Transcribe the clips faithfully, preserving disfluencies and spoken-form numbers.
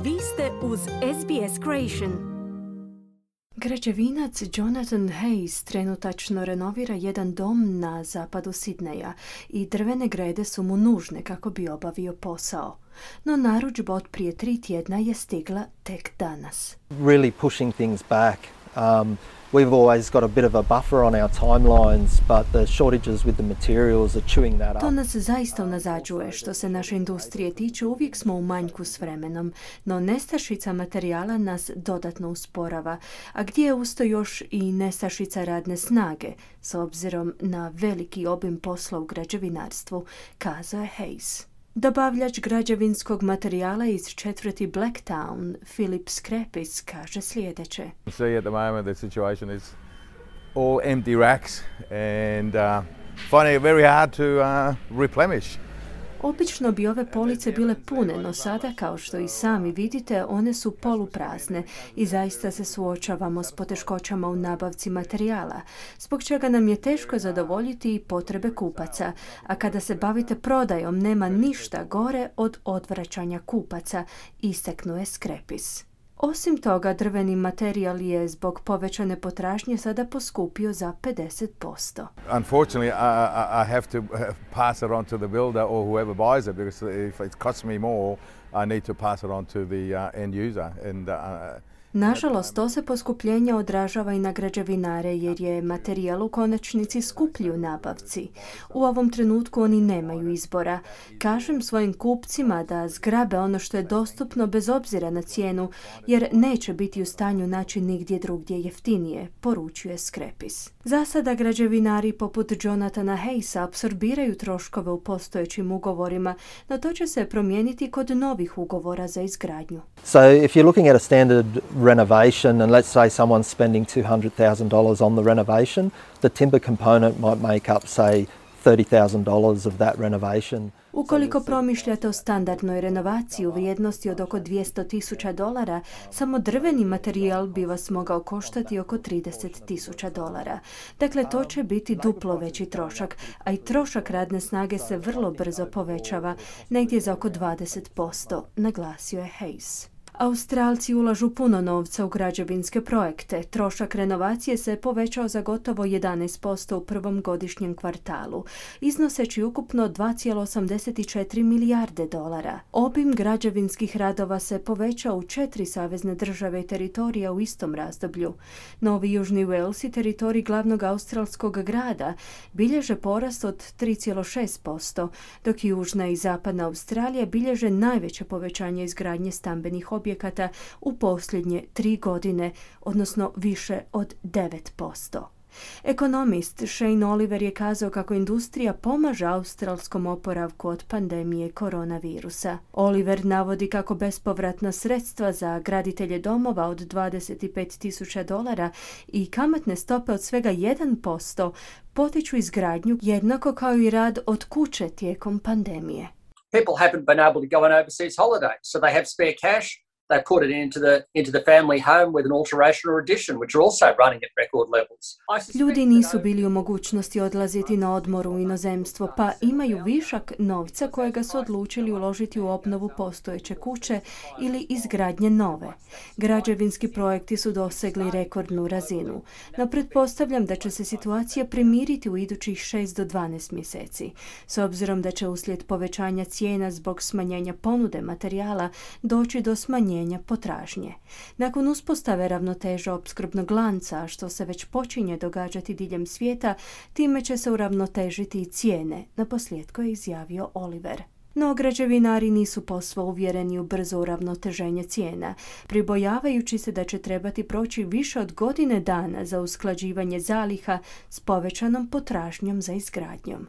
Vi ste uz S B S Creation. Građevinac Jonathan Hayes trenutačno renovira jedan dom na zapadu Sidneja i drvene grede su mu nužne kako bi obavio posao. No narudžba od prije tri tjedna je stigla tek danas. Really pushing things back. Um, we've always got a bit of a buffer on our timelines, but the shortages with the materials are chewing that up. To nas zaista unazađuje. Što se naše industrije tiče, uvijek smo u manjku s vremenom, no nestašica materijala nas dodatno usporava, a gdje je usto još i nestašica radne snage, s obzirom na veliki obim posla u građevinarstvu, kazao je Hayes. Dobavljač građevinskog materijala iz četvrti Blacktown, Philip Skrepis, kaže sljedeće. See at the moment the situation is all empty racks and uh, finding it very hard to uh, replenish. Obično bi ove police bile pune, no sada, kao što i sami vidite, one su poluprazne i zaista se suočavamo s poteškoćama u nabavci materijala, zbog čega nam je teško zadovoljiti i potrebe kupaca, a kada se bavite prodajom nema ništa gore od odvraćanja kupaca, istaknuo je Skrepis. Osim toga, drveni materijal je zbog povećane potražnje sada poskupio za pedeset posto. Unfortunately, I, I have to pass it on to the builder or whoever buys it, because if it costs me more, I need to pass it on to the uh, end user. And, uh, Nažalost, to se poskupljenje odražava i na građevinare jer je materijal u konačnici skuplji u nabavci. U ovom trenutku oni nemaju izbora. Kažem svojim kupcima da zgrabe ono što je dostupno bez obzira na cijenu, jer neće biti u stanju naći nigdje drugdje jeftinije, poručuje Skrepis. Za sada građevinari poput Jonathana Hayesa apsorbiraju troškove u postojećim ugovorima, no to će se promijeniti kod novih ugovora za izgradnju. So if you're looking at a standard renovation and let's say someone's spending two hundred thousand dollars on the renovation, the timber component might make up, say, thirty thousand dollars of that renovation. Ukoliko promišljate o standardnoj renovaciji u vrijednosti od oko dvjesto tisuća dolara, samo drveni materijal bi vas mogao koštati oko trideset tisuća dolara. Dakle, to će biti duplo veći trošak, a i trošak radne snage se vrlo brzo povećava, negdje za oko dvadeset posto, naglasio je Hayes. Australci ulažu puno novca u građevinske projekte. Trošak renovacije se povećao za gotovo jedanaest posto u prvom godišnjem kvartalu, iznoseći ukupno dva zarez osamdeset četiri milijarde dolara. Obim građevinskih radova se povećao u četiri savezne države i teritorija u istom razdoblju. Novi Južni Wales i teritorij glavnog australskog grada bilježe porast od tri zarez šest posto, dok Južna i Zapadna Australija bilježe najveće povećanje izgradnje stambenih objekata objekata u posljednje tri godine, odnosno više od devet posto. Ekonomist Shane Oliver je kazao kako industrija pomaže australskom oporavku od pandemije koronavirusa. Oliver navodi kako bespovratna sredstva za graditelje domova od dvadeset pet tisuća dolara i kamatne stope od svega jedan posto potiču izgradnju, jednako kao i rad od kuće tijekom pandemije. People haven't been able to go on overseas holidays, so they have spare cash. They put it into the into the family home with an alteration or addition, which are also running at record levels. Ljudi nisu bili u mogućnosti odlaziti na odmor u inozemstvo, pa imaju višak novca kojega su odlučili uložiti u obnovu postojeće kuće ili izgradnje nove. Građevinski projekti su dosegli rekordnu razinu, no pretpostavljam da će se situacija primiriti u idućih šest do dvanaest mjeseci, s obzirom da će uslijed povećanja cijena zbog smanjenja ponude materijala doći do smanjenja potražnje. Nakon uspostave ravnoteže opskrbnog lanca, što se već počinje događati diljem svijeta, time će se uravnotežiti i cijene, naposljetku je izjavio Oliver. No građevinari nisu posve uvjereni u brzo uravnoteženje cijena, pribojavajući se da će trebati proći više od godine dana za usklađivanje zaliha s povećanom potražnjom za izgradnjom.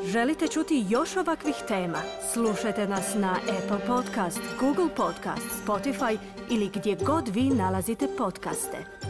Želite čuti još ovakvih tema? Slušajte nas na Apple Podcast, Google Podcast, Spotify ili gdje god vi nalazite podcaste.